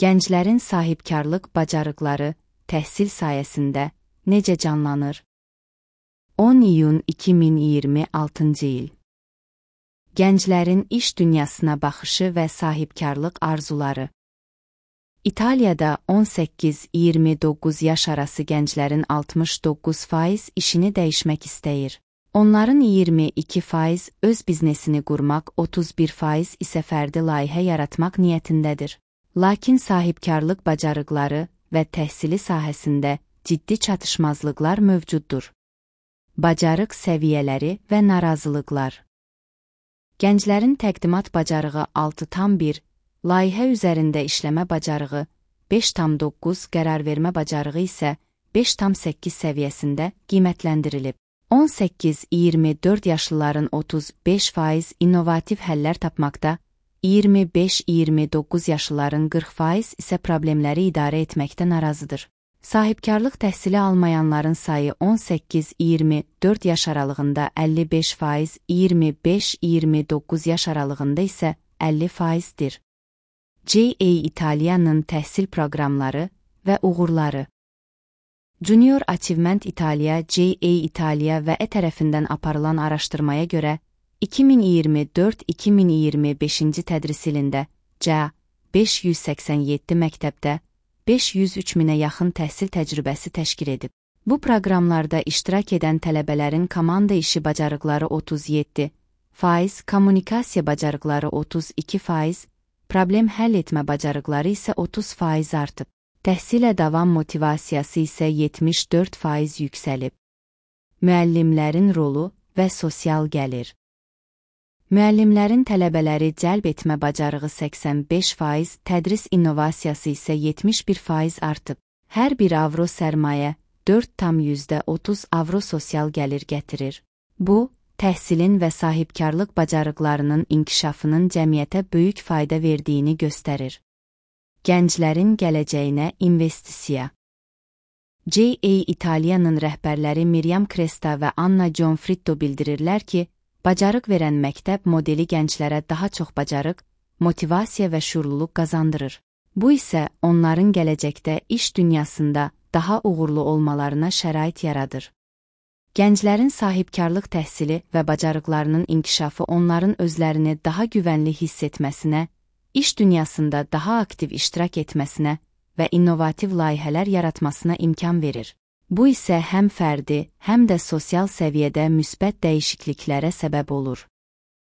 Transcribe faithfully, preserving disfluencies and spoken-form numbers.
Gənclərin sahibkarlıq bacarıqları təhsil sayəsində necə canlanır? on iyun iki min iyirmi altıncı il. Gənclərin iş dünyasına baxışı və sahibkarlıq arzuları. İtaliyada on səkkiz iyirmi doqquz yaş arası gənclərin altmış doqquz faiz işini dəyişmək istəyir. Onların iyirmi iki faiz öz biznesini qurmaq, otuz bir faiz isə fərdi layihə yaratmaq niyyətindədir. Lakin sahibkarlıq bacarıqları və təhsili sahəsində ciddi çatışmazlıqlar mövcuddur. Bacarıq səviyyələri və narazılıqlar. Gənclərin təqdimat bacarığı altı tam bir, layihə üzərində işləmə bacarığı beş tam doqquz, qərarvermə bacarığı isə beş tam səkkiz səviyyəsində qiymətləndirilib. on səkkiz iyirmi dörd yaşlıların otuz beş faiz innovativ həllər tapmaqda, iyirmi beş iyirmi doqquz yaşlıların qırx faiz isə problemləri idarə etməkdə narazıdır. Sahibkarlıq təhsili almayanların sayı on səkkiz iyirmi dörd yaş aralığında əlli beş faiz, iyirmi beş iyirmi doqquz yaş aralığında isə əlli faizdir. J A Italia'nın təhsil proqramları və uğurları. Junior Achievement Italia J A Italia və E tərəfindən aparılan araşdırmaya görə, iki min iyirmi dörd iki min iyirmi beşinci tədris ilində C A beş yüz səksən yeddi məktəbdə beş yüz üç minə yaxın təhsil təcrübəsi təşkil edib. Bu proqramlarda iştirak edən tələbələrin komanda işi bacarıqları otuz yeddi faiz, kommunikasiya bacarıqları otuz iki faiz, problem həll etmə bacarıqları isə otuz faiz artıb. Təhsilə davam motivasiyası isə yetmiş dörd faiz yüksəlib. Müəllimlərin rolu və sosial gəlir. Müəllimlərin tələbələri cəlb etmə bacarığı səksən beş faiz, tədris innovasiyası isə yetmiş bir faiz artıb. Hər bir avro sərmayə dörd tam yüzdə otuz avro sosial gəlir gətirir. Bu, təhsilin və sahibkarlıq bacarıqlarının inkişafının cəmiyyətə böyük fayda verdiyini göstərir. Gənclərin gələcəyinə investisiya. J A Italia'nın rəhbərləri Miriam Cresta və Anna Gianfritto bildirirlər ki, bacarıq verən məktəb modeli gənclərə daha çox bacarıq, motivasiya və şuurluluq qazandırır. Bu isə onların gələcəkdə iş dünyasında daha uğurlu olmalarına şərait yaradır. Gənclərin sahibkarlıq təhsili və bacarıqlarının inkişafı onların özlərini daha güvənli hiss etməsinə, iş dünyasında daha aktiv iştirak etməsinə və innovativ layihələr yaratmasına imkan verir. Bu isə həm fərdi, həm də sosial səviyyədə müsbət dəyişikliklərə səbəb olur.